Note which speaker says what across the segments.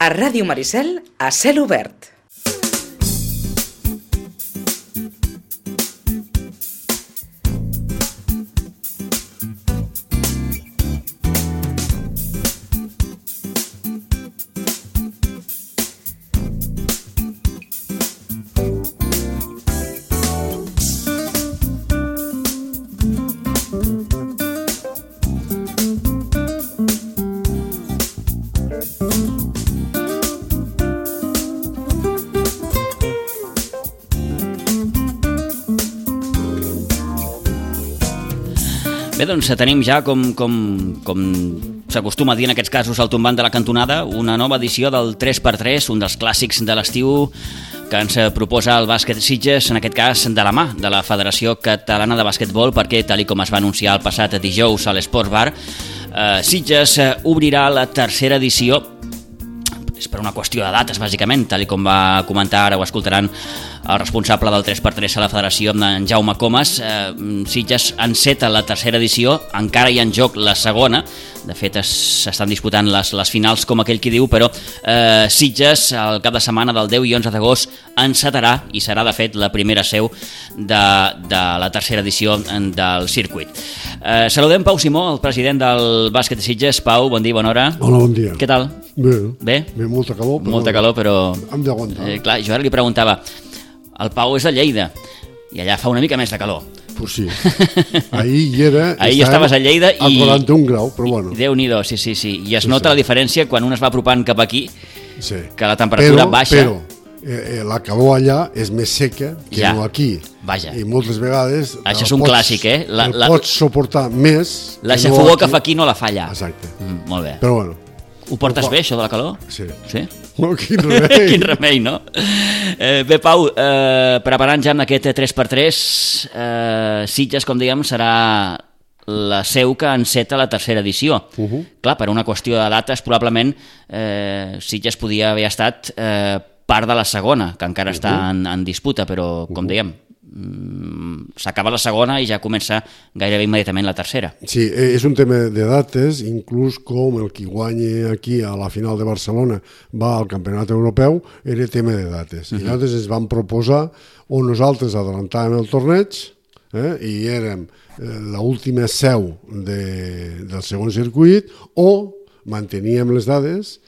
Speaker 1: A Ràdio Maricel, a cel obert.
Speaker 2: Bé, doncs tenim ja, com s'acostuma a dir en aquests casos, al tombant de la cantonada, una nova edició del 3x3, un dels clàssics de l'estiu que ens proposa el bàsquet Sitges, en aquest cas de la mà de la Federació Catalana de Basquetbol, perquè, tal com es va anunciar el passat dijous a l'Esports Bar, Sitges obrirà la tercera edició. És per una qüestió de dates, bàsicament, tal com va comentar, ara ho escoltaran el responsable del 3x3 a la Federació, en Jaume Comas. Sitges enceta la tercera edició, encara hi ha en joc la segona. De fet, s'estan disputant les finals, com aquell qui diu, però Sitges, el cap de setmana del 10 i 11 d'agost, encetarà, i serà, de fet, la primera seu de la tercera edició del circuit. Saludem Pau Simó, el president del bàsquet de Sitges. Pau, bon dia, bona hora.
Speaker 3: Hola, bon dia.
Speaker 2: Què tal?
Speaker 3: Bé, molta calor, però...
Speaker 2: Molta calor, però...
Speaker 3: Hem d'aguantar.
Speaker 2: Clar, jo ara li preguntava, el Pau és de Lleida, i allà fa una mica més de calor.
Speaker 3: Pues sí. Ahir hi era...
Speaker 2: Ahir estaves a Lleida i...
Speaker 3: A 41 graus, però bueno.
Speaker 2: Déu-n'hi-do, sí. I es nota la diferència quan un es va apropant cap aquí, que la temperatura baixa.
Speaker 3: Però la calor allà és més seca que no aquí.
Speaker 2: Vaja.
Speaker 3: I moltes vegades...
Speaker 2: Això és un clàssic, eh?
Speaker 3: Pots suportar més...
Speaker 2: La xafogó que fa aquí no la fa allà.
Speaker 3: Exacte.
Speaker 2: Molt bé.
Speaker 3: Però bueno.
Speaker 2: Ho portes bé, això de la calor?
Speaker 3: Sí.
Speaker 2: Sí?
Speaker 3: Oh, quin remei!
Speaker 2: Quin remei, no? Bé, Pau, preparant ja amb aquest 3x3, Sitges, com dèiem, serà la seu que enceta la tercera edició. Clar, per una qüestió de dates, probablement Sitges podia haver estat part de la segona, que encara està en disputa, però, com dèiem, s'acaba la segona i ja comença gairebé immediatament la tercera.
Speaker 3: Sí, és un tema de dates, inclús com el qui guanya aquí a la final de Barcelona va al campionat europeu, era tema de dates. I nosaltres ens vam proposar o nosaltres adelantàvem el torneig i érem l'última seu del segon circuit o manteníem les dades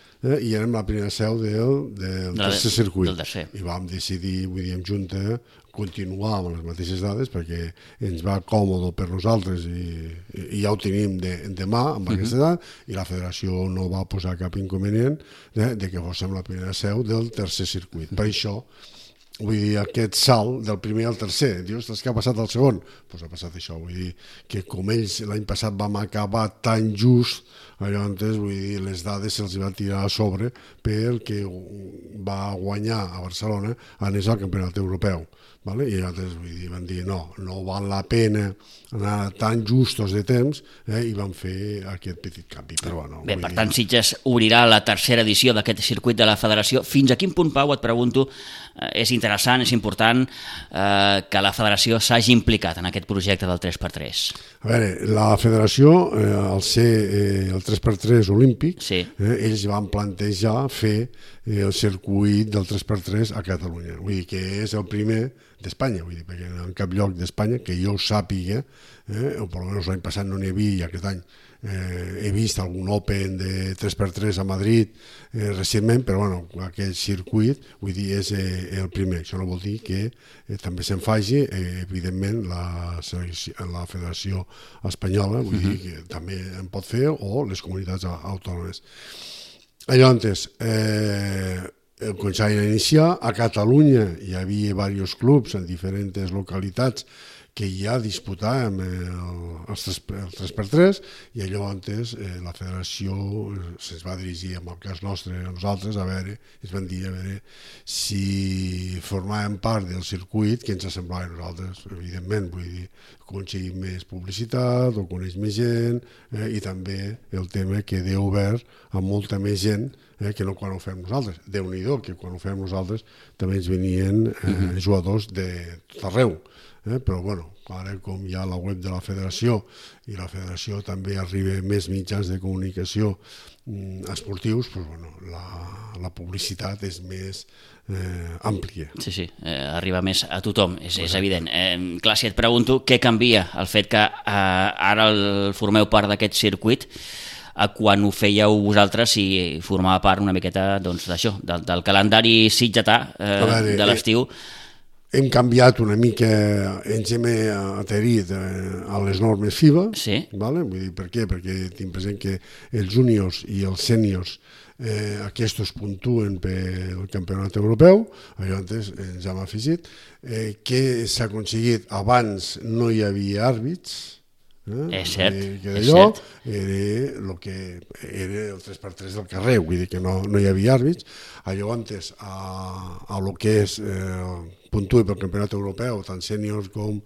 Speaker 3: i érem la primera seu del tercer circuit. I vam decidir, vull dir, en junta, continuar amb les mateixes dades perquè ens va còmode per nosaltres i ja ho tenim de mà amb aquesta edat, i la federació no va posar cap inconvenient de que fóssim la primera seu del tercer circuit. Per això, vull dir, aquest salt del primer al tercer, dius, què ha passat al segon? Doncs ha passat això, vull dir, que com ells l'any passat vam acabar tan just, llavors, vull dir, les dades se'ls va tirar a sobre perquè va guanyar a Barcelona anés al campionat europeu. I llavors van dir no val la pena anar tan justos de temps i van fer aquest petit canvi.
Speaker 2: Bé, per tant, Sitges obrirà la tercera edició d'aquest circuit de la Federació. Fins a quin punt, Pau, et pregunto, és interessant, és important que la Federació s'hagi implicat en aquest projecte del 3x3?
Speaker 3: A veure, la Federació, al ser el 3x3 olímpic, ells van plantejar fer el circuit del 3x3 a Catalunya. Vull dir que és el primer d'Espanya, vull dir, perquè en cap lloc d'Espanya, que jo ho sàpiga, o per almenys l'any passat no n'hi havia, i aquest any he vist algun Open de 3x3 a Madrid recentment, però bueno, aquest circuit, vull dir, és el primer. Això no vol dir que també se'n faci, evidentment, la Federació Espanyola, vull dir que també en pot fer, o les comunitats autònomes. Llavors, començaven a iniciar. A Catalunya hi havia diversos clubs en diferents localitats que ja disputàvem el 3x3 i llavors la federació se'ns va dirigir, en el cas nostre, a nosaltres, ens van dir a veure si formàvem part del circuit que ens semblava a nosaltres. Evidentment, vull dir, aconseguir més publicitat, o coneix més gent, i també el tema queda obert a molta més gent que no quan ho fem nosaltres. Déu-n'hi-do, que quan ho fem nosaltres també ens venien jugadors de tot arreu. Però bueno, ara com hi ha la web de la federació i la federació també arriba més mitjans de comunicació esportius, doncs, bueno, la publicitat és més àmplia.
Speaker 2: Sí, arriba més a tothom, és evident. Clar, si et pregunto què canvia el fet que ara formeu part d'aquest circuit a quan ho fèieu vosaltres i formava part una miqueta d'això, del calendari sitgetà de l'estiu.
Speaker 3: Hem canviat una mica, ens hem adherit a les normes FIBA.
Speaker 2: Sí.
Speaker 3: Vull dir, per què? Perquè tinc present que els júniors i els sèniors aquests puntuen pel campionat europeu, llavors ens hem afegit. Què s'ha aconseguit? Abans no hi havia àrbits,
Speaker 2: és cert,
Speaker 3: era el que era el 3x3 del carrer, vull dir que no hi havia àrbits. Llavors, a lo que és puntui pel campionat europeu, tant sènior com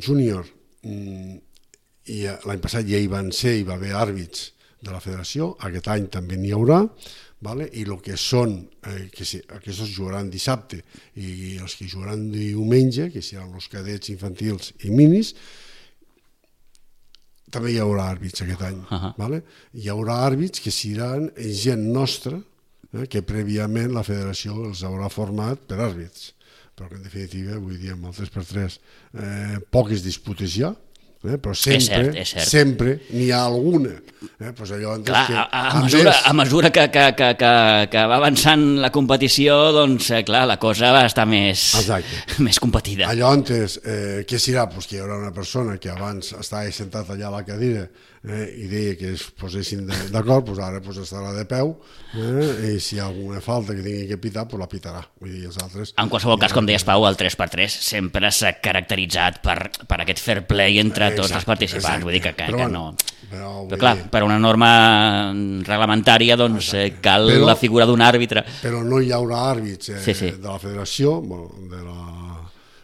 Speaker 3: júnior, i l'any passat ja hi van ser, hi va haver àrbits de la federació, aquest any també n'hi haurà, i el que són, aquests jugaran dissabte i els que jugaran diumenge, que seran els cadets infantils i minis, també hi haurà àrbits aquest any. Hi haurà àrbits que seran gent nostra, que prèviament la federació els haurà format per àrbits, però que en definitiva, vull dir, amb el 3x3 poques disputes hi ha, però sempre n'hi ha alguna.
Speaker 2: Clar, a mesura que va avançant la competició, doncs, clar, la cosa va estar més competida.
Speaker 3: Llavors, què serà? Que hi haurà una persona que abans estava sentat allà a la cadira i deia que es posessin d'acord, ara estarà de peu, i si hi ha alguna falta que tingui que pitar, la pitarà.
Speaker 2: En qualsevol cas, com deies, Pau, el 3x3 sempre s'ha caracteritzat per aquest fair play entre tots els participants. Vull dir que no... Però clar, per una norma reglamentària cal la figura d'un àrbitre.
Speaker 3: Però no hi haurà àrbits de la federació, de la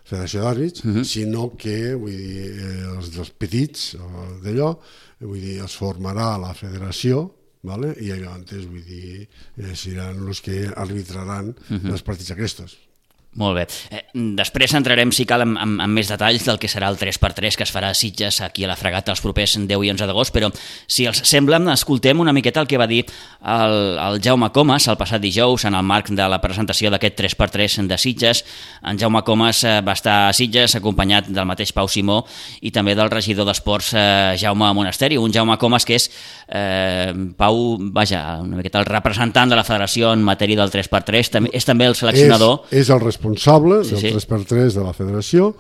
Speaker 3: federació d'àrbits, sinó que els dels petits d'allò, es formarà la federació, i llavors seran els que arbitraran els partits aquests.
Speaker 2: Molt bé. Després entrarem, si cal, en més detalls del que serà el 3x3 que es farà a Sitges aquí a la Fragata els propers 10 i 11 d'agost, però si els sembla, escoltem una miqueta el que va dir el Jaume Comas el passat dijous en el marc de la presentació d'aquest 3x3 de Sitges. En Jaume Comas va estar a Sitges acompanyat del mateix Pau Simó i també del regidor d'Esports Jaume Monasteri, un Jaume Comas que és Pau, una miqueta el representant de la federació en matèria del 3x3, és també el seleccionador.
Speaker 3: És el responsable del 3x3 de la federació,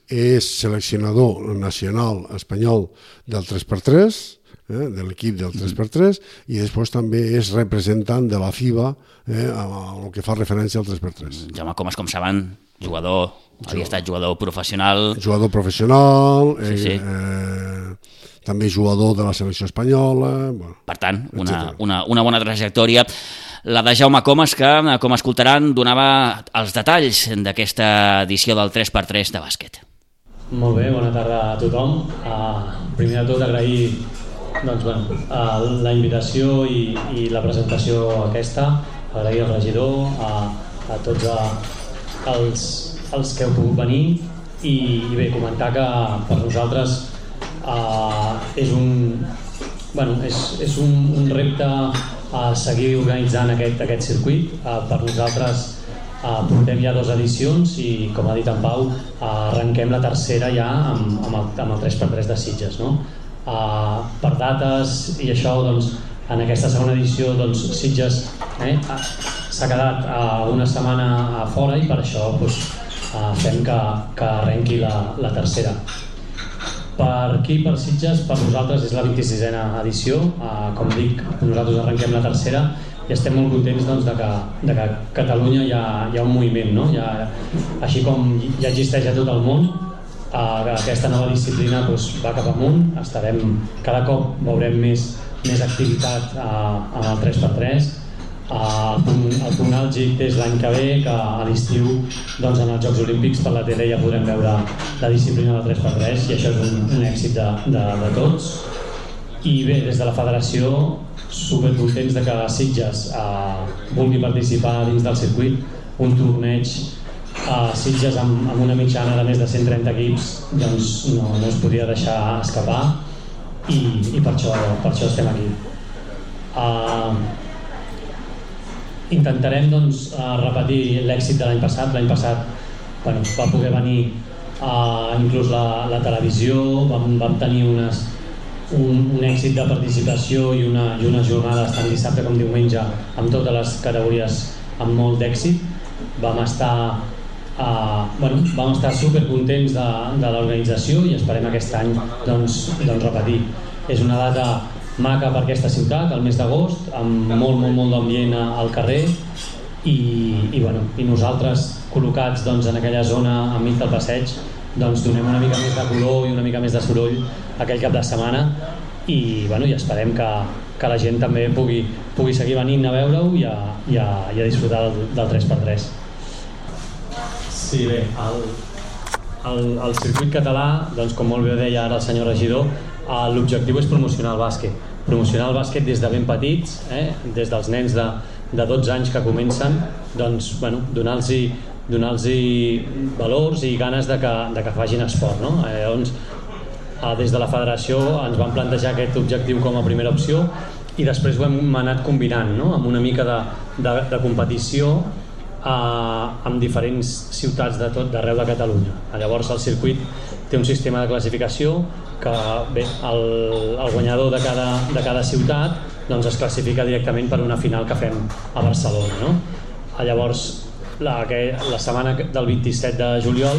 Speaker 3: és seleccionador nacional espanyol del 3x3, de l'equip del 3x3, i després també és representant de la FIBA el que fa referència al 3x3.
Speaker 2: Jaume Comas, com saben, havia estat jugador professional.
Speaker 3: Jugador professional, també jugador de la selecció espanyola.
Speaker 2: Per tant, una bona trajectòria. La de Jaume Comas, que, com escoltaran, donava els detalls d'aquesta edició del 3x3 de bàsquet.
Speaker 4: Molt bé, bona tarda a tothom. Primer de tot, agrair la invitació i la presentació aquesta, agrair al regidor, a tots els que heu pogut venir i bé, comentar que per nosaltres és un repte a seguir organitzant aquest circuit. Per nosaltres portem ja 2 edicions i, com ha dit en Pau, arrenquem la tercera ja amb el 3x3 de Sitges. Per dates i això, en aquesta segona edició Sitges s'ha quedat una setmana a fora i per això fem que arrenqui la tercera. Per aquí, per Sitges, per nosaltres és la 26a edició. Com dic, nosaltres arrenquem la tercera i estem molt contents de que a Catalunya hi ha un moviment, així com ja existeix a tot el món. Aquesta nova disciplina va cap amunt, cada cop veurem més activitat en el 3x3. El punt àlgid és l'any que ve, que a l'estiu en els Jocs Olímpics per la tele ja podrem veure la disciplina del 3x3 i això és un èxit de tots. I bé, des de la federació supercontents de que Sitges vulgui participar dins del circuit, un torneig a Sitges amb una mitjana de més de 130 equips, doncs no es podia deixar escapar i per això estem aquí. Intentarem doncs, repetir l'èxit de l'any passat. L'any passat va poder venir inclús la televisió, vam tenir un èxit de participació i unes jornades tant dissabte com diumenge amb totes les categories amb molt d'èxit. Vam estar supercontents de l'organització i esperem aquest any doncs repetir. És una data maca per aquesta ciutat, al mes d'agost, amb molt d'ambient al carrer i nosaltres col·locats en aquella zona enmig del passeig donem una mica més de color i una mica més de soroll aquell cap de setmana i esperem que la gent també pugui seguir venint a veure-ho i a disfrutar del 3x3. Sí, bé, el circuit català, com molt bé deia ara el senyor regidor, l'objectiu és promocionar el bàsquet des de ben petits, des dels nens de 12 anys que comencen, donar-los valors i ganes de que facin esport, no? Llavors, des de la federació ens vam plantejar aquest objectiu com a primera opció i després ho hem anat combinant, no? Amb una mica de competició amb diferents ciutats d'arreu de Catalunya. Llavors el circuit té un sistema de classificació que el guanyador de cada ciutat es classifica directament per una final que fem a Barcelona, no? Llavors la setmana del 27 de juliol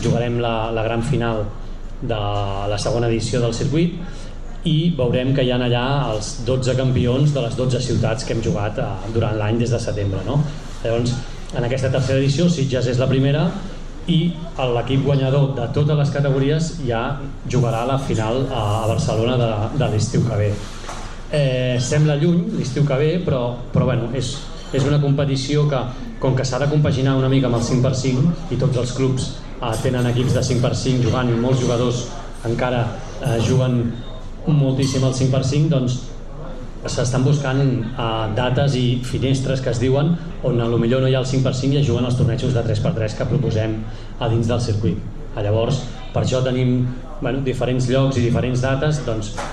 Speaker 4: jugarem la gran final de la segona edició del circuit i veurem que hi ha allà els 12 campions de les 12 ciutats que hem jugat durant l'any des de setembre, no? Llavors, en aquesta tercera edició Sitges és la primera i l'equip guanyador de totes les categories ja jugarà la final a Barcelona de l'estiu que ve. Sembla lluny l'estiu que ve, però és una competició que, com que s'ha de compaginar una mica amb el 5x5 i tots els clubs tenen equips de 5x5 jugant i molts jugadors encara juguen moltíssim al 5x5, doncs s'estan buscant dates i finestres que es diuen on potser no hi ha el 5x5 i es juguen els tornejos de 3x3 que proposem a dins del circuit. Llavors, per això tenim diferents llocs i diferents dates,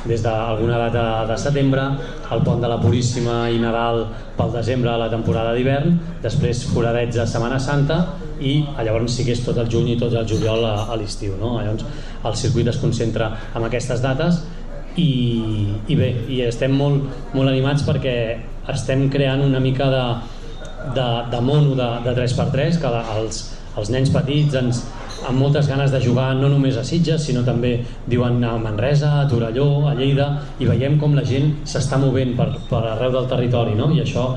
Speaker 4: des d'alguna data de setembre, el Pont de la Puríssima i Nadal pel desembre a la temporada d'hivern, després foradets de Setmana Santa i llavors sí que és tot el juny i tot el juliol a l'estiu, no? Llavors el circuit es concentra en aquestes dates i bé, estem molt animats perquè estem creant una mica de mono de 3x3 que els nens petits amb moltes ganes de jugar no només a Sitges sinó també diuen a Manresa, a Torelló, a Lleida i veiem com la gent s'està movent per arreu del territori, no? I això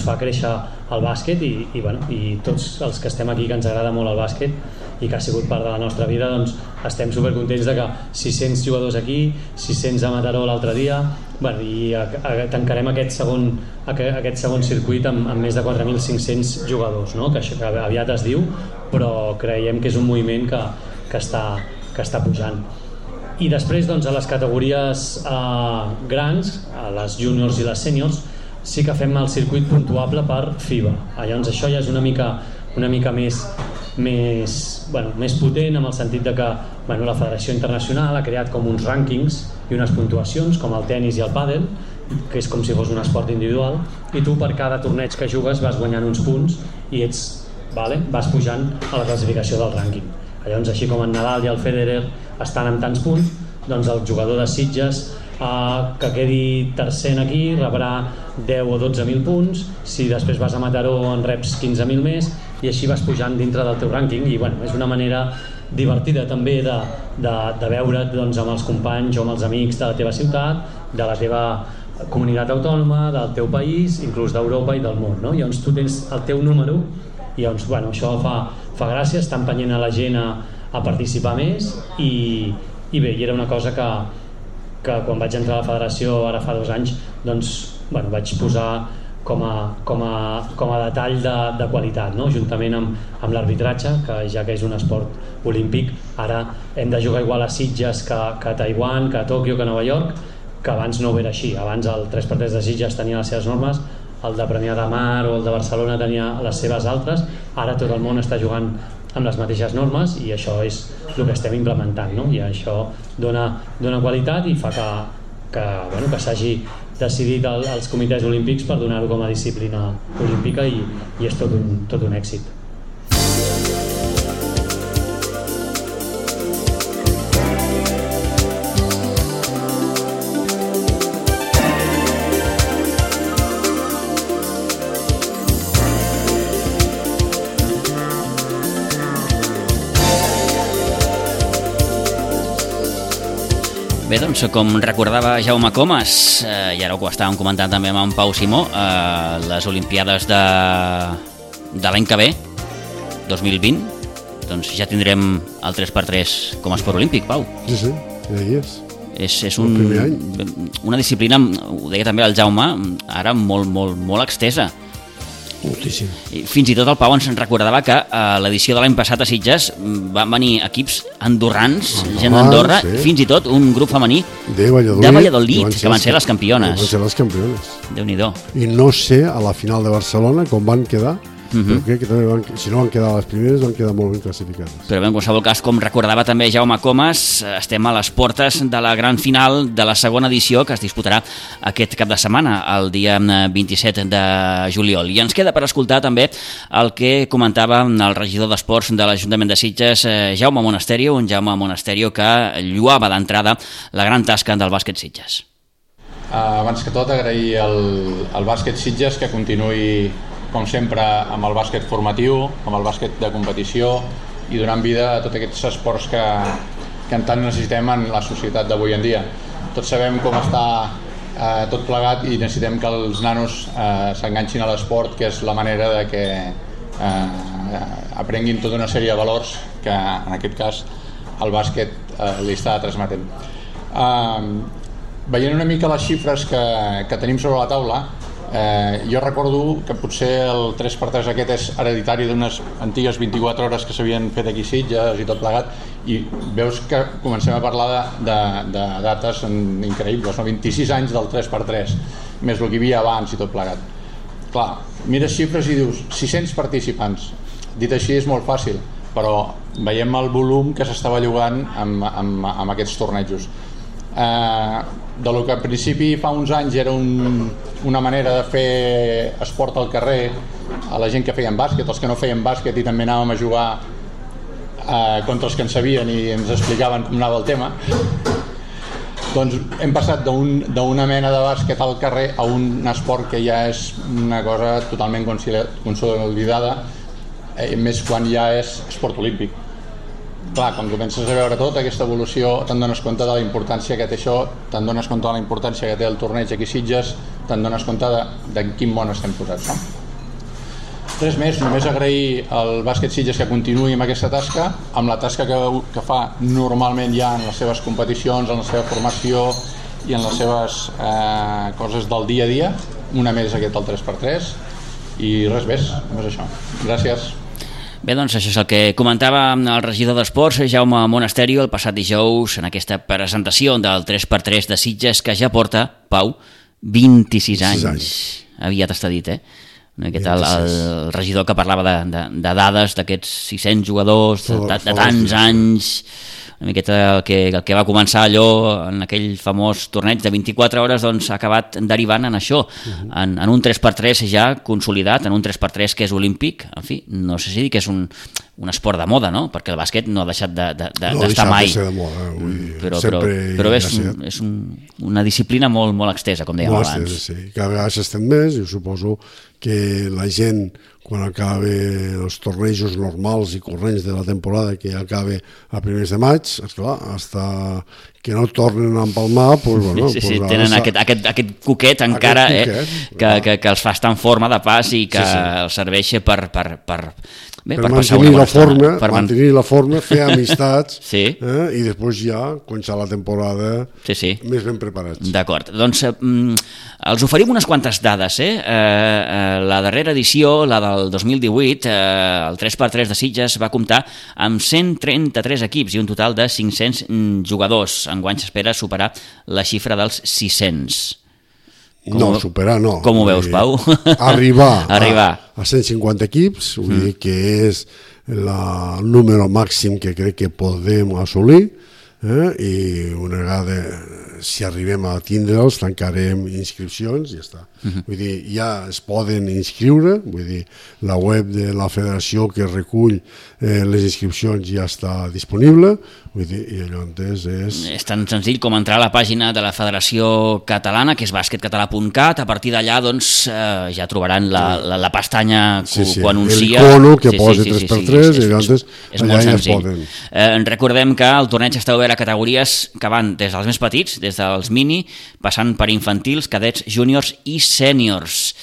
Speaker 4: fa créixer el bàsquet i tots els que estem aquí que ens agrada molt el bàsquet i que ha sigut part de la nostra vida estem supercontents de que 600 jugadors aquí, 600 a Mataró l'altre dia i tancarem aquest segon circuit amb més de 4.500 jugadors, no? Que aviat es diu però creiem que és un moviment que està pujant. I després a les categories grans, a les juniors i les sèniors, sí que fem el circuit puntuable per FIBA. Llavors això ja és una mica més potent en el sentit de que la Federació Internacional ha creat com uns rànquings i unes puntuacions com el tennis i el pàdel, que és com si fos un esport individual i tu per cada torneig que jugues vas guanyant uns punts i vas pujant a la classificació del rànquing. Llavors així com en Nadal i el Federer estan amb tants punts, doncs el jugador de Sitges que quedi tercer aquí rebrà 10 o 12.000 punts, si després vas a Mataró en reps 15.000 més i així vas pujant dintre del teu rànquing i és una manera divertida també de veure't amb els companys o amb els amics de la teva ciutat, de la teva comunitat autònoma, del teu país, inclús d'Europa i del món, no? Llavors tu tens el teu número i això fa gràcia, està empenyent a la gent a participar més i bé, i era una cosa que quan vaig entrar a la federació ara fa 2 anys vaig posar com a detall de qualitat, no? Juntament amb l'arbitratge, que ja que és un esport olímpic ara hem de jugar igual a Sitges que a Taiwan, que a Tòquio, que a Nova York que abans no ho era així. Abans el 3x3 de Sitges tenia les seves normes, el de Premià de Mar o el de Barcelona tenia les seves altres, ara tot el món està jugant amb les mateixes normes i això és el que estem implementant, no? I això dona qualitat i fa que s'hagi decidit els comitès olímpics per donar-ho com a disciplina olímpica i és tot un èxit.
Speaker 2: Bé, doncs, com recordava Jaume Comas, i ara ho estàvem comentant també amb en Pau Simó, les Olimpiades de l'any que ve, 2020, doncs ja tindrem el 3x3 com a esport olímpic, Pau.
Speaker 3: Sí, ja hi és.
Speaker 2: És una disciplina, ho deia també el Jaume, ara molt extesa.
Speaker 3: Moltíssim.
Speaker 2: Fins i tot el Pau ens recordava que a l'edició de l'any passat a Sitges van venir equips andorrans, gent d'Andorra, sí. Fins i tot un grup femení de Valladolid, que van ser les campiones.
Speaker 3: Van ser les campiones.
Speaker 2: Déu-n'hi-do.
Speaker 3: I no sé a la final de Barcelona com van quedar, però crec que també si no van quedar a les primeres, van quedar molt ben classificades.
Speaker 2: Però bé, en qualsevol cas, com recordava també Jaume Comas, estem a les portes de la gran final de la segona edició que es disputarà aquest cap de setmana, el dia 27 de juliol. I ens queda per escoltar també el que comentava el regidor d'Esports de l'Ajuntament de Sitges, Jaume Monasterio, un Jaume Monasterio que lluava d'entrada la gran tasca del bàsquet Sitges.
Speaker 5: Abans que tot, agrair al bàsquet Sitges que continuï com sempre amb el bàsquet formatiu, amb el bàsquet de competició i donant vida a tots aquests esports que en tant necessitem en la societat d'avui en dia. Tots sabem com està tot plegat i necessitem que els nanos s'enganxin a l'esport, que és la manera de que aprenguin tota una sèrie de valors que en aquest cas el bàsquet li està transmetent. Veient una mica les xifres que tenim sobre la taula, jo recordo que potser el 3x3 aquest és hereditari d'unes antigues 24 hores que s'havien fet aquí a Sitges i tot plegat, i veus que comencem a parlar de dates increïbles, 26 anys del 3x3 més el que hi havia abans i tot plegat. Clar, mires xifres i dius 600 participants, dit així és molt fàcil, però veiem el volum que s'estava jugant amb aquests tornejos. De lo que al principi fa uns anys era una manera de fer esport al carrer a la gent que feien bàsquet, els que no feien bàsquet i també anàvem a jugar contra els que en sabien i ens explicaven com anava el tema, doncs hem passat d'una mena de bàsquet al carrer a un esport que ja és una cosa totalment consolidada, més quan ja és esport olímpic. Clar, quan comences a veure tota aquesta evolució te'n dones compte de la importància que té això, te'n dones compte de la importància que té el torneig aquí a Sitges, te'n dones compte de quin món estem posats, no? Res més, només agrair al bàsquet Sitges que continuï amb aquesta tasca, amb la tasca que fa normalment ja en les seves competicions, en la seva formació i en les seves coses del dia a dia, una més aquest el 3x3, i res més, només això. Gràcies.
Speaker 2: Bé, doncs això és el que comentava el regidor d'Esports, Jaume Monasterio, el passat dijous en aquesta presentació del 3x3 de Sitges, que ja porta, Pau, 26 anys. Aviat està dit, el regidor que parlava de dades d'aquests 600 jugadors, de tants anys, una miqueta el que va començar allò en aquell famós torneig de 24 hores, doncs ha acabat derivant en això, en un 3x3 ja consolidat, en un 3x3 que és olímpic. En fi, no sé si dir que és un esport de moda, no? Perquè el bàsquet no ha deixat d'estar mai.
Speaker 3: No ha deixat de ser de moda,
Speaker 2: però és una disciplina molt extesa, com dèiem abans.
Speaker 3: Molt extesa, sí. Cada vegada s'estén més i suposo que la gent, quan acaba els tornejos normals i corrents de la temporada, que acaba a primers de maig, esclar, hasta que no tornen a empalmar, pues, bueno,
Speaker 2: sí, tenen aquest cuquet encara, que els fa estar en forma de pas i que els serveix per
Speaker 3: per mantenir la forma, fer amistats i després ja començar la temporada més ben preparats.
Speaker 2: D'acord, doncs els oferim unes quantes dades. La darrera edició, la del 2018, el 3x3 de Sitges va comptar amb 133 equips i un total de 500 jugadors. Enguany s'espera superar la xifra dels 600.
Speaker 3: Superar no.
Speaker 2: Com ho veus, Pau?
Speaker 3: Arribar a 150 equips, vull dir que és el número màxim que crec que podem assolir, i una vegada si arribem a tindre'ls tancarem inscripcions i ja està. Vull dir, ja es poden inscriure, vull dir, la web de la federació que recull les inscripcions ja està disponible, vull dir, i allò és
Speaker 2: tan senzill com entrar a la pàgina de la Federació Catalana, que és basquetcatalà.cat. A partir d'allà doncs ja trobaran la pestanya que ho anuncia,
Speaker 3: l'icono que posa 3x3 i llavors allà ja es poden.
Speaker 2: Recordem que el torneig està obert a categories que van des dels més petits, des dels mini, passant per infantils, cadets, júniors i sèniors,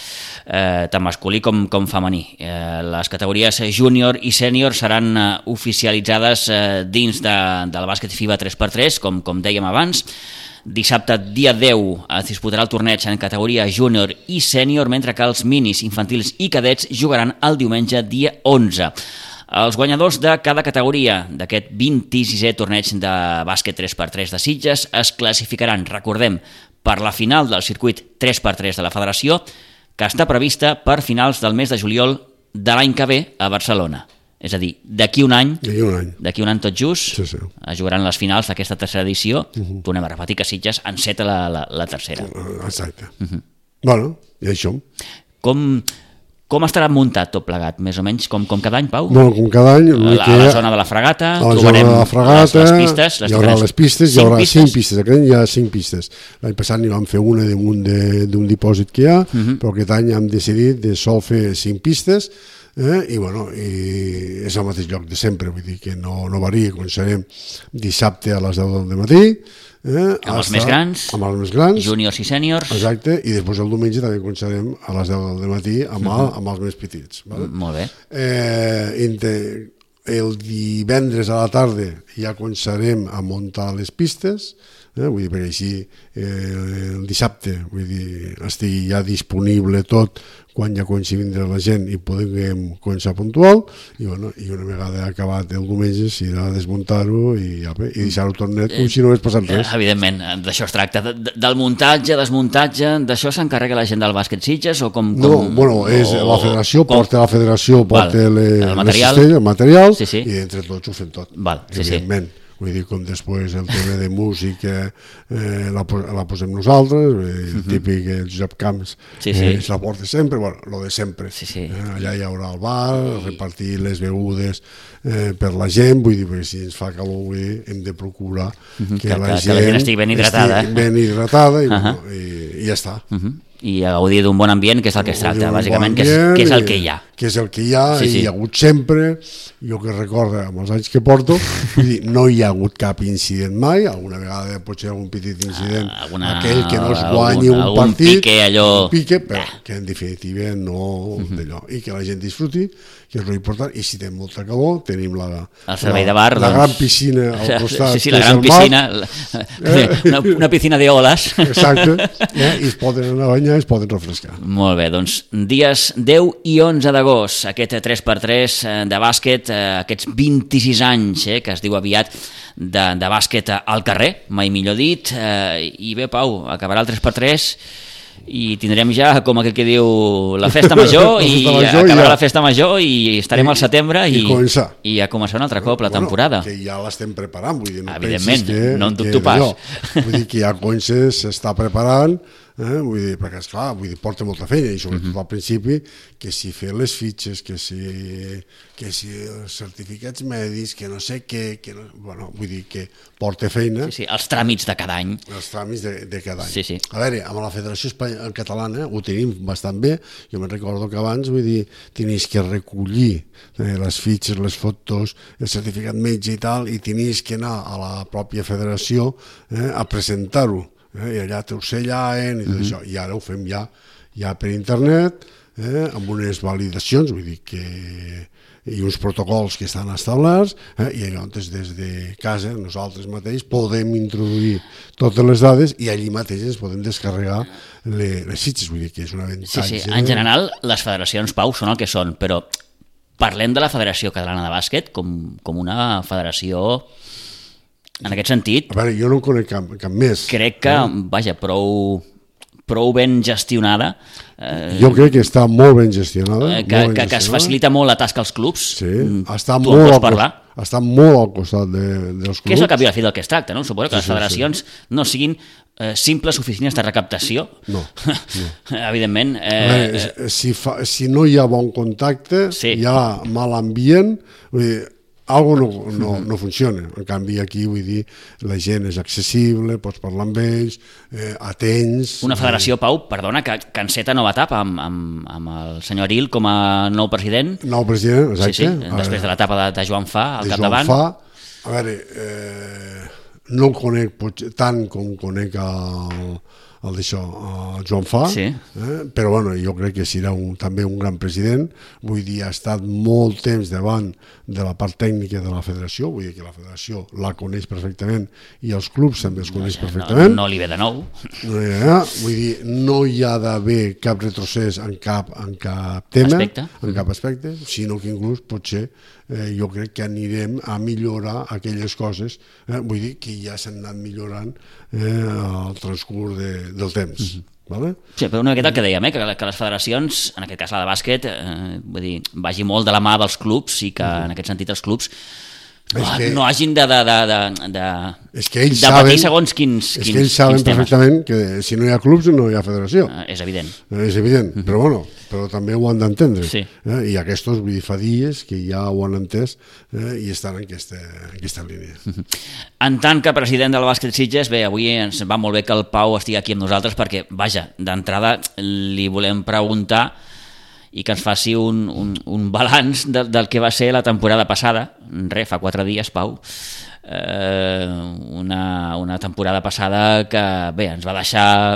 Speaker 2: tant masculí com femení. Les categories júnior i sènior seran oficialitzades dins del bàsquet FIBA 3x3, com dèiem abans. Dissabte, dia 10, es disputarà el torneig en categoria júnior i sènior, mentre que els minis, infantils i cadets jugaran el diumenge, dia 11. Els guanyadors de cada categoria d'aquest 26è torneig de bàsquet 3x3 de Sitges es classificaran, recordem, per la final del circuit 3x3 de la Federació, que està prevista per finals del mes de juliol de l'any que ve a Barcelona. És a dir, d'aquí un any tot just, es jugaran les finals d'aquesta tercera edició. Tornem a repetir que Sitges enceta la tercera.
Speaker 3: Exacte. Bueno, i això.
Speaker 2: Com estarà muntat tot plegat, més o menys, com cada any, Pau?
Speaker 3: Bueno, com cada any.
Speaker 2: A la zona de la Fragata,
Speaker 3: trobarem les
Speaker 2: pistes.
Speaker 3: Hi haurà les pistes, hi haurà 5 pistes. Aquest any hi ha 5 pistes. L'any passat n'hi vam fer una damunt d'un dipòsit que hi ha, però aquest any hem decidit de sol fer 5 pistes, i bueno, és al mateix lloc de sempre, vull dir que no varia. Començarem dissabte a les 10 del matí,
Speaker 2: amb els més grans, júniors i sèniors.
Speaker 3: Exacte, i després el diumenge també començarem a les 10 del matí amb els més petits.
Speaker 2: Molt bé.
Speaker 3: El divendres a la tarda ja començarem a muntar les pistes, vull dir, perquè així el dissabte estigui ja disponible tot quan ja comenci a vindre la gent i podem començar puntual, i una vegada acabat el diumenge s'irà a desmuntar-ho i deixar-ho tornet com si no hagués passat res.
Speaker 2: Evidentment, d'això es tracta. Del muntatge, desmuntatge, d'això s'encarrega la gent del bàsquet Sitges o com?
Speaker 3: No, bueno, és la federació, porta el material i entre tots ho fem tot, evidentment. Vull dir, com després el tema de música la posem nosaltres, típic el Josep Camps es la porta sempre, bueno, lo de sempre. Allà hi haurà el bar, repartir les begudes per la gent, vull dir, perquè si ens fa calor hem de procurar que la gent
Speaker 2: estigui ben hidratada
Speaker 3: i ja està.
Speaker 2: I a gaudir d'un bon ambient, que és el que es tracta, bàsicament, que és el que hi ha.
Speaker 3: Que és el que hi ha, i hi ha hagut sempre, jo que recordo amb els anys que porto, vull dir, no hi ha hagut cap incident mai, alguna vegada potser algun petit incident, aquell que no es guanyi un partit, un pique, però que en definitiva no d'allò, i que la gent disfruti, que és l'important, i si tenim molta calor, tenim la gran piscina al costat,
Speaker 2: la gran piscina, una piscina de oles.
Speaker 3: Exacte, i es poden anar a banyar, es poden refrescar.
Speaker 2: Molt bé, doncs dies 10 i 11 d'agost, aquest 3x3 de bàsquet, aquests 26 anys que es diu aviat de bàsquet al carrer, mai millor dit, i bé, Pau, acabarà el 3x3 i tindrem ja, com aquell que diu, la festa major i acabarà la festa major i estarem al setembre i a començar un altre cop la temporada.
Speaker 3: Que ja l'estem preparant, vull dir, no
Speaker 2: evidentment, no en dubto pas.
Speaker 3: Vull dir que ja s'està preparant, vull dir, perquè esclar, porta molta feina i sobretot al principi, que si fer les fitxes, que si els certificats mèdics, que no sé què, vull dir que porta feina.
Speaker 2: Sí, els tràmits de cada any.
Speaker 3: Els tràmits de cada any.
Speaker 2: Sí.
Speaker 3: A veure, amb la Federació Catalana ho tenim bastant bé, jo me'n recordo que abans, vull dir, tenies que recollir les fitxes, les fotos, el certificat metge i tal, i tenies que anar a la pròpia federació a presentar-ho. I allà t'ho sellaven i tot això, i ara ho fem ja per internet, amb unes validacions, vull dir que i uns protocols que estan establerts, i llavors des de casa nosaltres mateix podem introduir totes les dades i allí mateix ens podem descarregar les fitxes, vull dir que és un avantatge.
Speaker 2: Sí. En general, les federacions, Pau, són el que són, però parlem de la Federació Catalana de Bàsquet com una federació, en aquest sentit,
Speaker 3: A veure, jo no en conec cap més.
Speaker 2: crec que, vaja, prou ben gestionada,
Speaker 3: Jo crec que està molt ben gestionada.
Speaker 2: que es facilita molt la tasca als clubs.
Speaker 3: Sí, està
Speaker 2: Tu en
Speaker 3: molt,
Speaker 2: pots parlar.
Speaker 3: està molt al costat dels clubs.
Speaker 2: Que és el cap i la fi del que es tracta, no? Suposo que les federacions no siguin simples oficines de recaptació.
Speaker 3: No.
Speaker 2: Evidentment.
Speaker 3: A veure, si no hi ha bon contacte,
Speaker 2: Sí.
Speaker 3: hi ha mal ambient, vull dir, algo no funciona. En canvi, aquí, vull dir, la gent és accessible, pots parlar amb ells, atents...
Speaker 2: Una federació, Pau, perdona, que enceta nova etapa amb el senyor Aril com a nou president.
Speaker 3: Nou president, exacte.
Speaker 2: Sí, després de l'etapa de Joan Fa al
Speaker 3: de
Speaker 2: capdavant.
Speaker 3: Joan Fa. A veure, no el conec tant com conec el d'això, Joan Fa,
Speaker 2: Sí.
Speaker 3: però bueno, jo crec que serà també un gran president. Vull dir, ha estat molt temps davant de la part tècnica de la federació, vull dir que la federació la coneix perfectament i els clubs també els coneix perfectament.
Speaker 2: No li ve de nou.
Speaker 3: Vull dir, no hi ha d'haver cap retrocés en cap tema,
Speaker 2: Aspecte.
Speaker 3: en cap aspecte, sinó que inclús potser jo crec que anirem a millorar aquelles coses, vull dir que ja s'han anat millorant al transcurs del temps. Vale?
Speaker 2: Sí, però una miqueta el que dèiem, que les federacions, en aquest cas la de bàsquet, vull dir, vagi molt de la mà dels clubs i que en aquest sentit els clubs no hagin de
Speaker 3: És que ells
Speaker 2: patir segons quins
Speaker 3: és que ells saben
Speaker 2: temes.
Speaker 3: perfectament que si no hi ha clubs no hi ha federació.
Speaker 2: És evident.
Speaker 3: És evident, però bueno, però també ho han d'entendre.
Speaker 2: Sí.
Speaker 3: I aquests, vull dir, fa dies que ja ho han entès i estan en aquesta línia.
Speaker 2: En tant que president del Bàsquet Sitges, bé, avui ens va molt bé que el Pau estigui aquí amb nosaltres perquè, vaja, d'entrada li volem preguntar i que ens faci un balanç del que va ser la temporada passada. Fa 4 dies, Pau. Una temporada passada que, bé, ens va deixar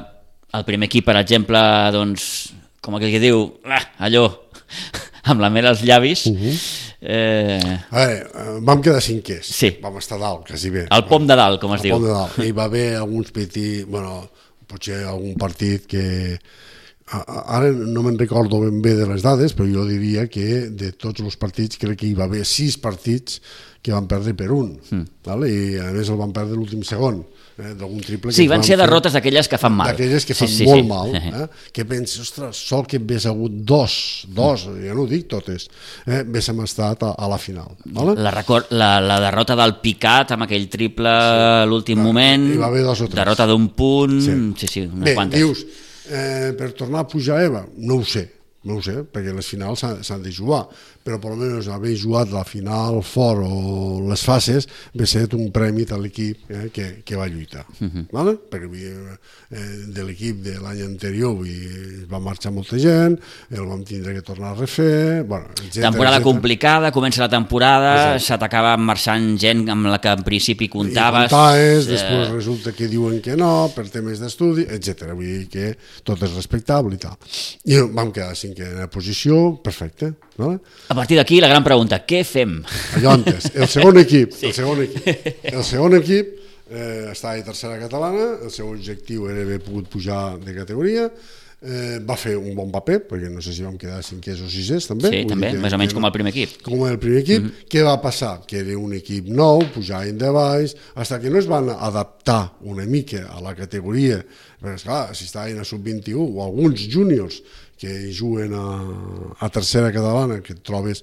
Speaker 2: el primer equip, per exemple, doncs, com aquell que diu, allò, amb la mel als llavis.
Speaker 3: A veure, vam quedar cinquers.
Speaker 2: Sí.
Speaker 3: Vam estar dalt, quasi bé.
Speaker 2: El pom de dalt, com es diu.
Speaker 3: El pom de dalt. Hi va haver alguns petits, bueno, potser algun partit que... Ara no me'n recordo ben bé de les dades, però jo diria que de tots els partits crec que hi va haver 6 partits que van perdre per un, vale? I a més el van perdre l'últim segon, d'algun triple.
Speaker 2: Sí, van ser derrotes d'aquelles que fan mal.
Speaker 3: D'aquelles que fan molt mal, que penses, ostres, sol que hagués hagut dos, ja no ho dic totes, haguéssim estat a la final. Vale?
Speaker 2: La derrota del Picat amb aquell triple a l'últim moment,
Speaker 3: hi va haver 2 o 3.
Speaker 2: derrota d'un punt, sí, unes quantes.
Speaker 3: Dius, per tornar a pujar a EVA, no ho sé, perquè les finals s'han de jugar, però per almenys haver jugat la final fort o les fases va ser un premi a l'equip que va lluitar. Vale? Perquè de l'equip de l'any anterior va marxar molta gent, el vam tindre que tornar a refer,
Speaker 2: temporada complicada, comença la temporada, se t'acaba marxant gent amb la que en principi comptaves,
Speaker 3: després resulta que diuen que no per temes d'estudi, etc. Vull dir que tot és respectable i tal. I vam quedar a 5a posició, perfecte. Vale?
Speaker 2: A partir d'aquí la gran pregunta, què fem?
Speaker 3: Allò antes, el segon equip estava a tercera catalana, el seu objectiu era haver pogut pujar de categoria, va fer un bon paper, perquè no sé si vam quedar 5è o 6è també.
Speaker 2: Sí, també, més o menys com el primer equip.
Speaker 3: Com el primer equip. Què va passar? Que era un equip nou, pujaven de baix, fins que no es van adaptar una mica a la categoria, perquè esclar, si estaven a sub-21 o alguns júniors que juguen a tercera catalana, que trobes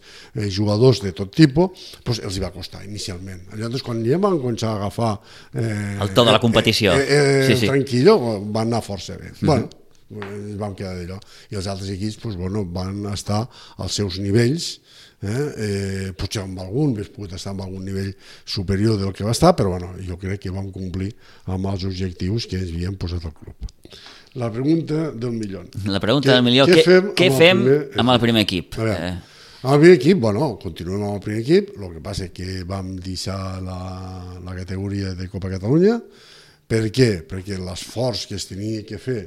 Speaker 3: jugadors de tot tipus, doncs els hi va costar inicialment. Llavors, quan ja van començar a agafar
Speaker 2: el to de la competició,
Speaker 3: tranquil·lo, van anar força bé. Bueno, vam quedar d'allò. I els altres equips van estar als seus nivells, potser amb algun, hauria pogut estar amb algun nivell superior del que va estar, però bueno, jo crec que vam complir amb els objectius que ens havíem posat al club. La pregunta del milió.
Speaker 2: La pregunta del milió, què fem amb el primer equip?
Speaker 3: Amb el primer equip, bueno, continuem amb el primer equip, el que passa és que vam deixar la categoria de Copa Catalunya. Per què? Perquè l'esforç que es tenia que fer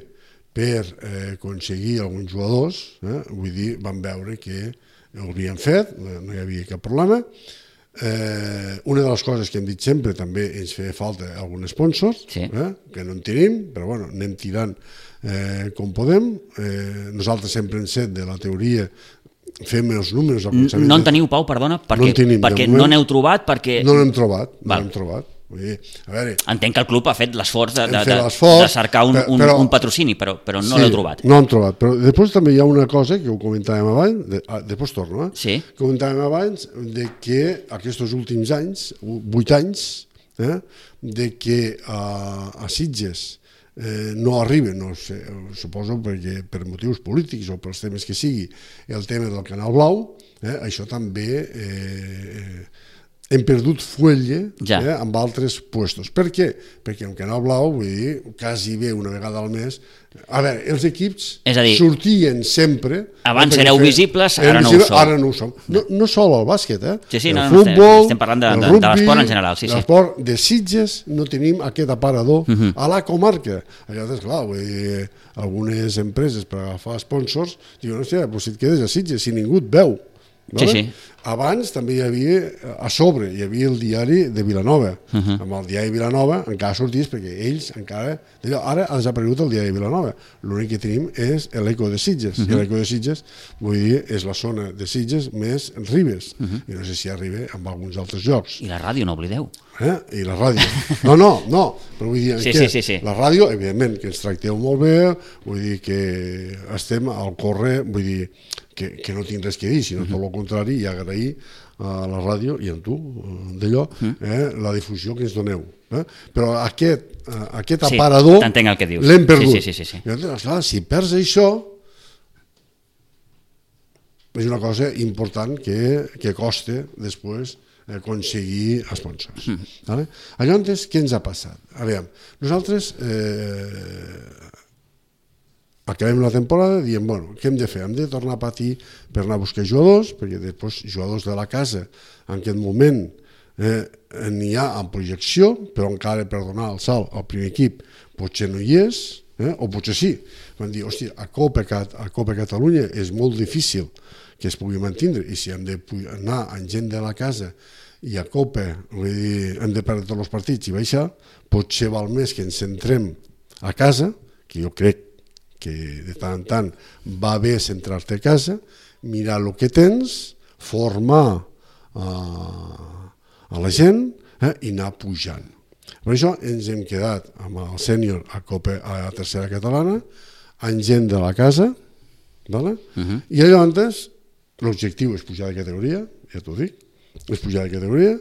Speaker 3: per aconseguir alguns jugadors, vull dir, van veure que ho havien fet, no hi havia cap problema. Una de les coses que hem dit sempre, també ens feia falta algun sponsor, que no en tenim, però bueno, anem tirant com podem. Nosaltres sempre hem set de la teoria, fem els números al començament.
Speaker 2: No en teniu, Pau, perdona? Perquè no n'heu trobat?
Speaker 3: No n'hem trobat, A veure,
Speaker 2: entenc que el club ha fet l'esforç de cercar un patrocini, però no l'heu trobat.
Speaker 3: No l'hem trobat, però després també hi ha una cosa que ho comentàvem abans, després torno, comentàvem abans de que aquests últims anys, 8 anys, de que a Sitges no arriba, no sé, suposo perquè per motius polítics o pels temes que sigui, el tema del Canal Blau, això també hem perdut fuelle amb altres puestos. Per què? Perquè en Canal Blau, vull dir, quasi bé una vegada al mes. A veure, els equips sortien sempre...
Speaker 2: Abans éreu visibles, ara no ho som.
Speaker 3: Ara no ho som. No sol el bàsquet,
Speaker 2: el futbol, estem parlant de l'esport en general.
Speaker 3: L'esport de Sitges no tenim aquest aparador a la comarca. Llavors, clar, vull dir, algunes empreses per agafar sponsors diuen, hòstia, si et quedes a Sitges, si ningú et veu. Abans també hi havia, a sobre, hi havia el diari de Vilanova. Amb el diari de Vilanova encara sorties perquè ells encara... Ara ha desaparegut el diari de Vilanova. L'únic que tenim és l'Eco de Sitges. I l'Eco de Sitges, vull dir, és la zona de Sitges més Ribes. I no sé si arriba amb alguns altres llocs.
Speaker 2: I la ràdio, no oblideu.
Speaker 3: I la ràdio. No, però vull dir que la ràdio, evidentment, que ens tracteu molt bé, vull dir que estem al corre, vull dir que no tinc res que dir, sinó tot el contrari, i agrair a la ràdio i a tu, d'allò, la difusió que ens doneu. Però aquest aparador l'hem perdut. Clar, si perds això, és una cosa important que costa després aconseguir sponsors. Llavors, què ens ha passat? A veure, nosaltres acabem la temporada i diem, bueno, què hem de fer? Hem de tornar a patir per anar a buscar jugadors, perquè després jugadors de la casa en aquest moment n'hi ha en projecció, però encara per donar el salt al primer equip potser no hi és, o potser sí. Van dir, hòstia, a Copa Catalunya és molt difícil que es pugui mantenir, i si hem d'anar amb gent de la casa i a Copa hem de perdre tots els partits i baixar, potser val més que ens centrem a casa, que jo crec que de tant en tant va bé centrar-te a casa, mirar el que tens, formar a la gent i anar pujant. Per això ens hem quedat amb el sènior a tercera catalana, amb gent de la casa, i llavors l'objectiu és pujar de categoria, ja t'ho dic, és pujar de categoria.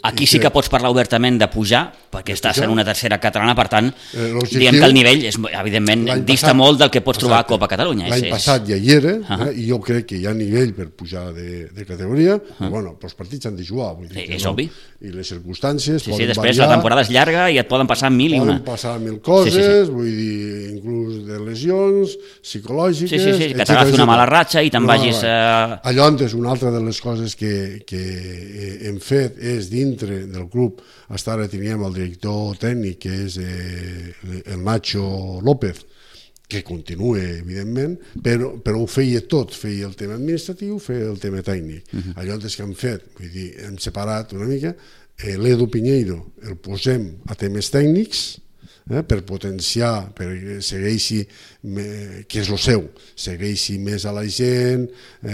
Speaker 2: Aquí sí que pots parlar obertament de pujar, perquè estàs en una tercera catalana, per tant, diem que el nivell, evidentment, dista molt del que pots trobar a Copa Catalunya.
Speaker 3: L'any passat ja hi era, i jo crec que hi ha nivell per pujar de categoria, però bueno, els partits han de jugar.
Speaker 2: És obvi.
Speaker 3: I les circumstàncies poden variar.
Speaker 2: Després la temporada és llarga i et poden passar mil i una.
Speaker 3: Poden passar mil coses, vull dir, inclús de lesions psicològiques...
Speaker 2: Sí, que t'agafi una mala ratxa i te'n vagis...
Speaker 3: Llavors, una altra de les coses que hem fet és dintre del club, hasta ara teníem el director tècnic, que és el Nacho López, que continua, evidentment, però ho feia tot, feia el tema administratiu, feia el tema tècnic. Llavors que hem fet, vull dir, hem separat una mica, l'Edu Piñeiro el posem a temes tècnics, per potenciar, perquè segueixi, que és el seu, segueixi més a la gent,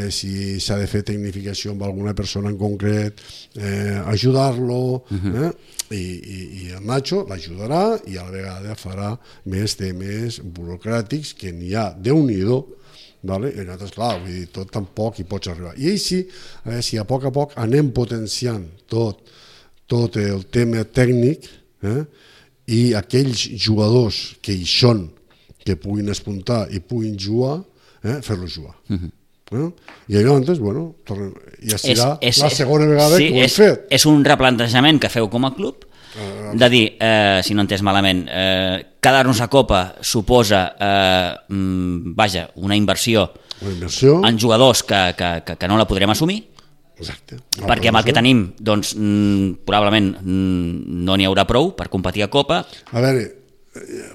Speaker 3: si s'ha de fer tecnificació amb alguna persona en concret, ajudar-lo, i el Nacho l'ajudarà i a la vegada farà més temes burocràtics que n'hi ha Déu-n'hi-do. I nosaltres, clar, vull dir, tot tampoc hi pots arribar. I així, si a poc anem potenciant tot el tema tècnic, i aquells jugadors que hi són, que puguin espuntar i puguin jugar, fer-los jugar. I llavors, bueno, ja serà la segona vegada que ho hem fet.
Speaker 2: És un replantejament que feu com a club, de dir, si no entès malament, quedar-nos a Copa suposa una inversió en jugadors que no la podrem assumir.
Speaker 3: Exacte.
Speaker 2: Perquè amb el que tenim, doncs, probablement no n'hi haurà prou per competir a Copa.
Speaker 3: A veure,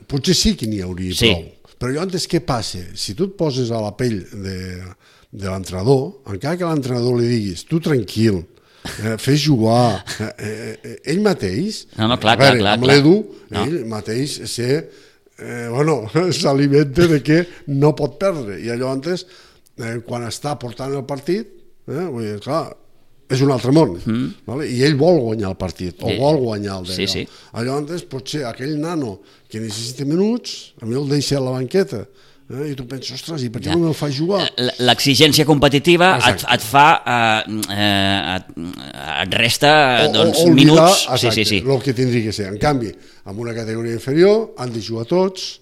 Speaker 3: potser sí que n'hi hauria prou, Però llavors què passa? Si tu et poses a la pell de l'entrenador, encara que l'entrenador li diguis tu tranquil, fes jugar, ell mateix,
Speaker 2: clar,
Speaker 3: amb l'Edu, ell mateix s'alimenta de que no pot perdre, i llavors quan està portant el partit, vull dir, clar, és un altre món, i ell vol guanyar el partit, o vol guanyar el d'allò. Llavors potser aquell nano que necessita minuts, a mi el deixa a la banqueta, i tu penses, ostres, i per què no me'l fa jugar?
Speaker 2: L'exigència competitiva et fa, et resta minuts.
Speaker 3: Exacte, el que tindria que ser. En canvi, en una categoria inferior han de jugar tots,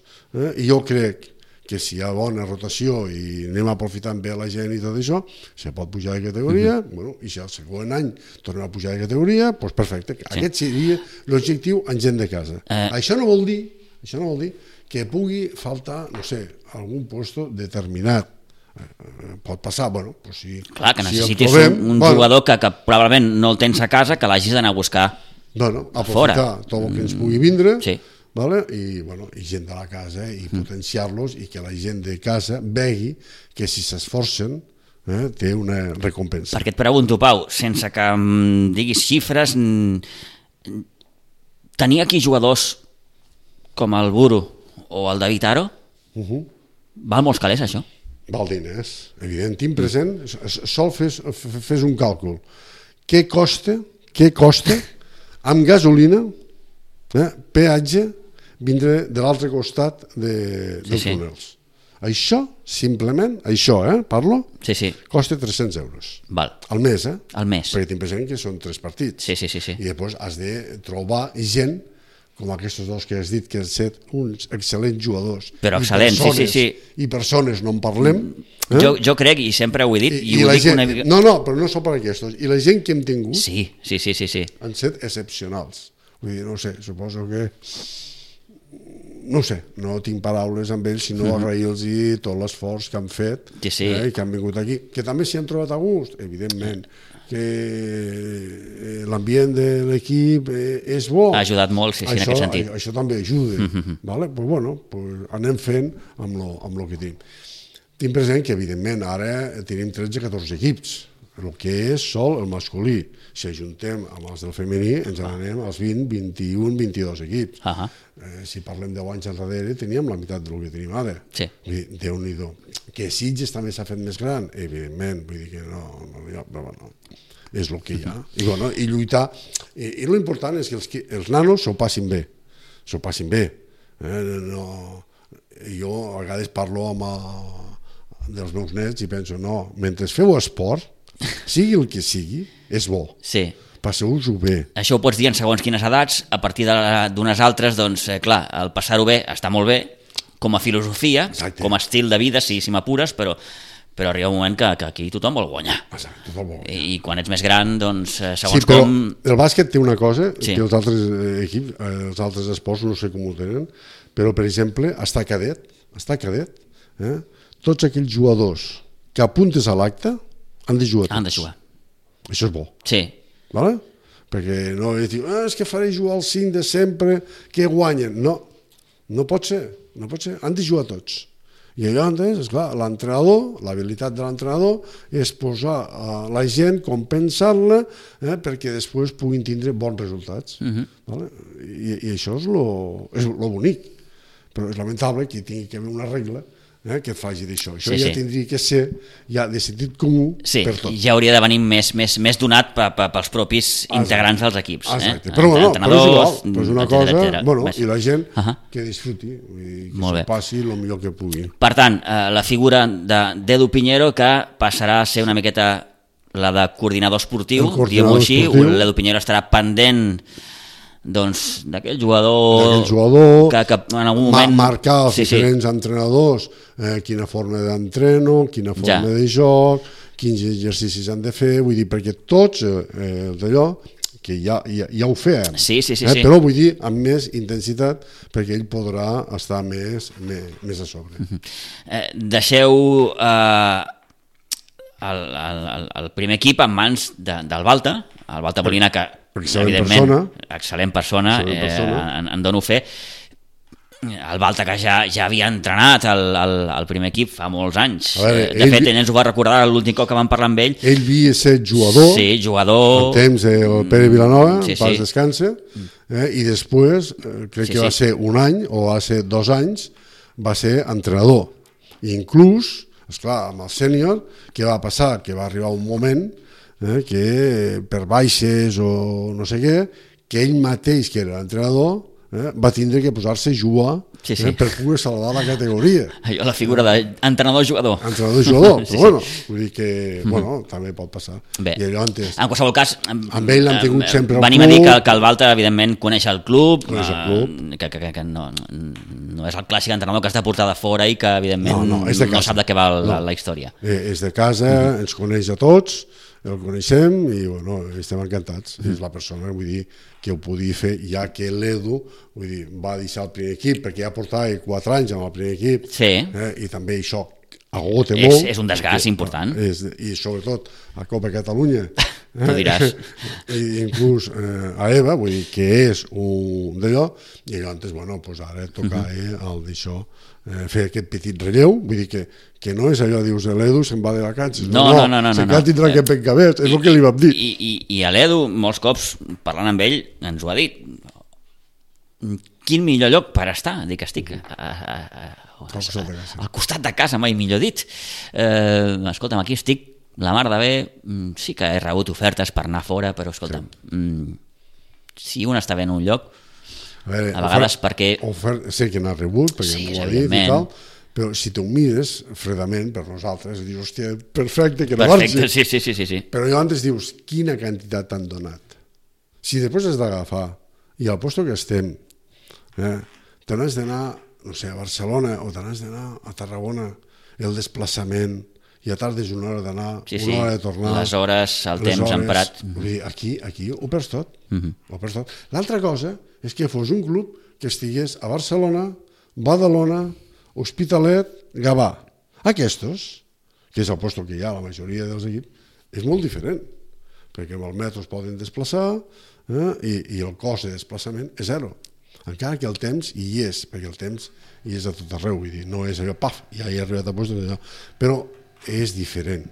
Speaker 3: i jo crec que si hi ha bona rotació i anem aprofitant bé la gent i tot això, se pot pujar de categoria, i si el segon any tornem a pujar de categoria, doncs perfecte. Aquest seria l'objectiu en gent de casa. Això no vol dir que pugui faltar, no sé, algun lloc determinat. Pot passar, si...
Speaker 2: Clar, que necessitis un jugador que probablement no el tens a casa, que l'hagis d'anar a buscar
Speaker 3: aprofitar tot el que ens pugui vindre, i gent de la casa, i potenciar-los, i que la gent de casa vegi que si s'esforcen té una recompensa.
Speaker 2: Perquè et pregunto, Pau, sense que em diguis xifres, tenir aquí jugadors com el Buru o el David Aro, val molts calés, això?
Speaker 3: Val diners, evident. Tinc present, sol fes un càlcul. Què costa amb gasolina, peatge, vindre de l'altre costat dels túnels? Això, simplement, parlo, costa 300 euros. Al mes, perquè tinc present que són 3 partits. I després has de trobar gent com aquests dos que has dit, que han estat uns excel·lents jugadors.
Speaker 2: Però excel·lents,
Speaker 3: i persones no en parlem.
Speaker 2: Jo crec, i sempre ho he dit, i ho dic una mica...
Speaker 3: No, però no són per aquests. I la gent que hem tingut han estat excepcionals. Vull dir, no sé, suposo que... No sé, no tinc paraules amb ells, sinó agrair-los tot l'esforç que han fet i que han vingut aquí. Que també s'hi han trobat a gust, evidentment. Que l'ambient de l'equip és bo.
Speaker 2: Ha ajudat molt, en aquest sentit.
Speaker 3: Això també ajuda. Anem fent amb el que tenim. Tinc present que, evidentment, ara tenim 13-14 equips, el que és sol el masculí. Si ajuntem amb els del femení, ens n'anem als 20, 21, 22 equips. Si parlem de 10 anys enrere, teníem la meitat del que tenim ara. Déu-n'hi-do. Que Sitges també s'ha fet més gran, evidentment, vull dir que no, és el que hi ha. I lluitar. I l'important és que els nanos s'ho passin bé. Jo a vegades parlo dels meus nets i penso, no, mentre feu esport, sigui el que sigui, és bo. Passeu-vos-ho bé.
Speaker 2: Això ho pots dir en segons quines edats, a partir d'unes altres, doncs, clar, el passar-ho bé està molt bé, com a filosofia, com a estil de vida, si m'apures, però arriba un moment que aquí tothom vol guanyar. I quan ets més gran, doncs, segons com...
Speaker 3: El bàsquet té una cosa, que els altres equips, els altres esports, no sé com ho tenen, però, per exemple, està cadet, tots aquells jugadors que apuntes a l'acte han de jugar tots. Això és bo. Perquè no és dir, és que faré jugar el 5 de sempre, que guanyen. No pot ser. Han de jugar tots. I llavors, esclar, l'entrenador, l'habilitat de l'entrenador és posar la gent, compensar-la, perquè després puguin tindre bons resultats. I això és lo bonic. Però és lamentable que tingui que haver una regla que et faci d'això. Això ja tindria que ser de sentit comú per tot.
Speaker 2: Ja hauria de venir més donat pels propis integrants dels equips.
Speaker 3: Exacte. Però és una cosa, i la gent que disfruti, que s'ho passi el millor que pugui.
Speaker 2: Per tant, la figura d'Edu Piñero, que passarà a ser una miqueta la de coordinador esportiu, diguem-ho així, l'Edu Piñero estarà pendent d'aquell jugador que en algun moment...
Speaker 3: Marcar els diferents entrenadors, quina forma d'entreno, quina forma de joc, quins exercicis han de fer, vull dir, perquè tots d'allò, que ja ho fem, però vull dir amb més intensitat, perquè ell podrà estar més a sobre.
Speaker 2: Deixeu el primer equip en mans del Balta, el Balta Molina, que evidentment, excel·lent persona, en dono fe. El Balta, que ja havia entrenat al primer equip fa molts anys.
Speaker 3: Veure,
Speaker 2: de fet, ell ens ho va recordar l'últim cop que vam parlar amb ell.
Speaker 3: Ell havia estat jugador,
Speaker 2: sí, jugador...
Speaker 3: en temps del Pere Vilanova,
Speaker 2: sí,
Speaker 3: pas descansa, i després, crec que va ser un any o va ser 2 anys, va ser entrenador. I inclús, esclar, amb el sènior, què va passar? Que va arribar un moment que per baixes o no sé què, que ell mateix, que era l'entrenador, va tindre que posar-se a jugar per poder salvar la categoria.
Speaker 2: Allò, la figura d'entrenador-jugador.
Speaker 3: Entrenador-jugador, però bueno, vull dir que també pot passar.
Speaker 2: Bé,
Speaker 3: i allò antes,
Speaker 2: en qualsevol cas,
Speaker 3: amb ell l'han tingut sempre al club.
Speaker 2: Venim a dir que el Balta, evidentment, coneix el club,
Speaker 3: que
Speaker 2: no és el clàssic entrenador que està portat de fora i que, evidentment, no sap de què va la història.
Speaker 3: És de casa, ens coneix a tots, el coneixem i bueno, estem encantats. És la persona, vull dir, que ho podia fer, ja que l'Edu va deixar el primer equip, perquè ja portava 4 anys amb el primer equip, i també això agota molt.
Speaker 2: És un desgast important.
Speaker 3: I sobretot a Copa Catalunya.
Speaker 2: Tu diràs.
Speaker 3: I inclús a Eva, vull dir que és un d'allò, i llavors, bueno, doncs ara toca el d'això, fer aquest petit relleu, vull dir que no és allò, dius, l'Edu se'n va de vacances,
Speaker 2: no,
Speaker 3: se'n tindrà aquest pencabet, és el que li vam dir.
Speaker 2: I a l'Edu, molts cops, parlant amb ell, ens ho ha dit, quin millor lloc per estar, dic, estic al costat de casa, mai millor dit. Escolta'm, aquí estic la mar de bé, sí que he rebut ofertes per anar fora, però escolta'm, si un està bé en un lloc, a vegades perquè...
Speaker 3: Sé que n'ha rebut, perquè m'ho ha dit i tal, però si t'ho mires fredament per nosaltres, dius, hòstia, perfecte, que no marxi.
Speaker 2: Sí.
Speaker 3: Però llavors dius, quina quantitat t'han donat? Si després has d'agafar, i al lloc que estem, te n'has d'anar, no sé, a Barcelona, o te n'has d'anar a Tarragona, el desplaçament, i a tardes una hora d'anar, una hora de tornar.
Speaker 2: Les hores, el temps emprat.
Speaker 3: Aquí ho perds tot. L'altra cosa és que fos un club que estigués a Barcelona, Badalona, Hospitalet, Gavà. Aquests, que és el lloc que hi ha la majoria dels equips, és molt diferent, perquè amb el metro es poden desplaçar i el cost de desplaçament és zero. Encara que el temps hi és, perquè el temps hi és a tot arreu, vull dir, no és allò, paf, ja he arribat a lloc d'allò, però és diferent,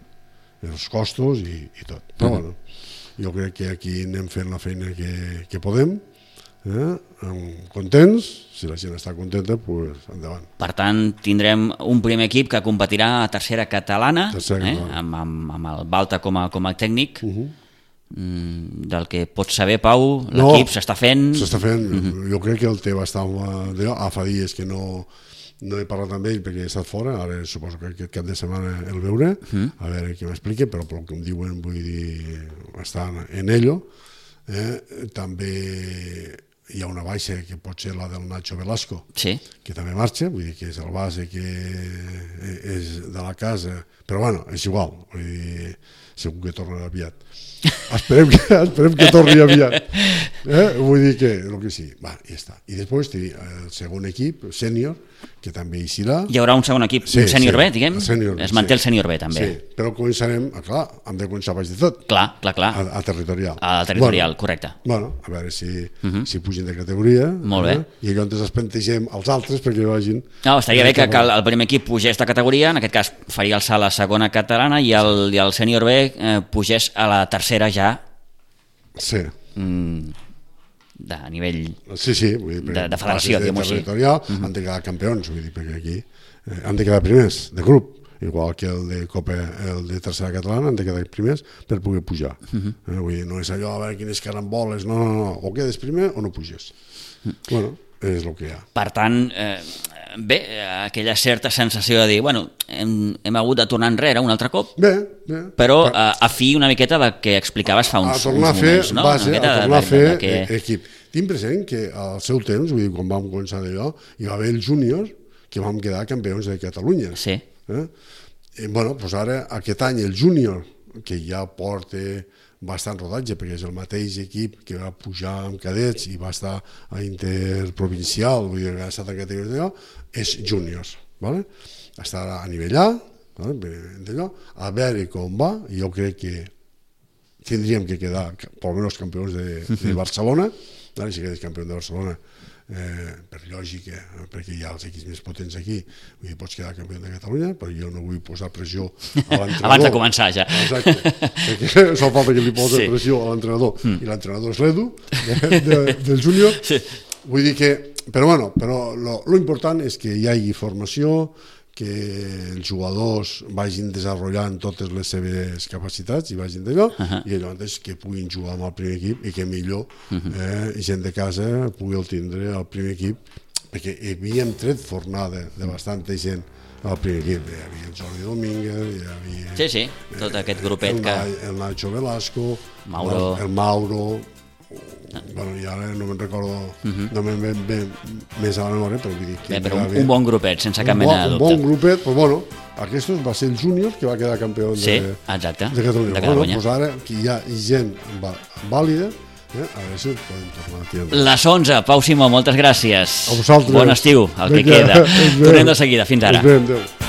Speaker 3: els costos i tot. Però bueno, jo crec que aquí anem fent la feina que podem, contents, si la gent està contenta, doncs endavant.
Speaker 2: Per tant, tindrem un primer equip que competirà a tercera catalana, amb el Balta com a tècnic. Del que pots saber, Pau, l'equip s'està fent...
Speaker 3: S'està fent, jo crec que el té bastant... fa dies que no he parlat amb ell perquè he estat fora, ara suposo que aquest cap de setmana el veuré, a veure què m'explica, però pel que em diuen, vull dir, està en ello. També hi ha una baixa que pot ser la del Nacho Velasco, que també marxa, vull dir que és el base que és de la casa, però bueno, és igual, vull dir, segur que tornarà aviat. Esperem que torni aviat. Vull dir que el que sí, va, ja està. I després el segon equip, sènior, que també hi serà.
Speaker 2: Hi haurà un segon equip, un sènior B, diguem? Es manté el sènior B, també.
Speaker 3: Sí, però començarem, clar, hem de començar baix de tot.
Speaker 2: Clar.
Speaker 3: A territorial.
Speaker 2: A territorial, correcte.
Speaker 3: Bueno, a veure si pugen de categoria.
Speaker 2: Molt bé.
Speaker 3: I llavors es plantegem els altres perquè vagin...
Speaker 2: No, estaria bé que el primer equip pugés de categoria, en aquest cas faria el salt a la segona catalana i el sènior B pugés a la tercera ja.
Speaker 3: Sí.
Speaker 2: De nivell
Speaker 3: de
Speaker 2: federació, diguem-ho així.
Speaker 3: Han de quedar campions, vull dir, perquè aquí han de quedar primers de grup, igual que el de Copa, el de tercera catalana, han de quedar primers per poder pujar. Vull dir, no és allò a veure quines caramboles, no, o quedes primer o no puges. Bueno, és el que hi ha.
Speaker 2: Per tant, bé, aquella certa sensació de dir, bueno, hem hagut de tornar enrere un altre cop, però a fi una miqueta del que explicaves fa uns moments, no?
Speaker 3: A tornar a fer equip. Tinc present que al seu temps, vull dir, quan vam començar d'allò, hi va haver el júnior que vam quedar campions de Catalunya.
Speaker 2: Sí.
Speaker 3: Bueno, doncs ara, aquest any, el júnior, que ja porta bastant rodatge, perquè és el mateix equip que va pujar amb cadets i va estar a interprovincial, vull dir, que ha estat a categoria d'allò, és júniors, ¿vale? Està a nivell A, d'allò, a veure com va, jo crec que tindríem que quedar, per almenys campions de Barcelona, si quedes campió de Barcelona, per lògica, perquè hi ha els equips més potents aquí, vull dir, pots quedar campió de Catalunya, però jo no vull posar pressió a l'entrenador.
Speaker 2: Abans de començar, ja.
Speaker 3: Exacte, perquè sol falta que li posa pressió a l'entrenador, i l'entrenador és l'Edu, del júnior. Vull dir que, però lo important és que hi hagi formació, que els jugadors vagin desenvolupant totes les seves capacitats i vagin d'allò, i allò mateix que puguin jugar amb el primer equip i que millor gent de casa pugui tindre el primer equip, perquè havíem tret fornada de bastanta gent al primer equip. Hi havia el Jordi Domínguez, hi havia...
Speaker 2: Sí, tot aquest grupet que...
Speaker 3: El Nacho Velasco, el Mauro... Bueno, i ara no me'n recordo, no me'n ve més a la memòria, però vull dir que...
Speaker 2: Però un bon grupet, sense cap mena de dubte.
Speaker 3: Un bon grupet, però bueno, aquest va ser el júnior que va quedar campió de Catalunya. Doncs ara que hi ha gent vàlida, a veure si ho podem tornar a tirar.
Speaker 2: Les 11, Pau Simó, moltes gràcies.
Speaker 3: A vosaltres.
Speaker 2: Bon estiu, el que queda. Tornem de seguida, fins ara.
Speaker 3: Adéu.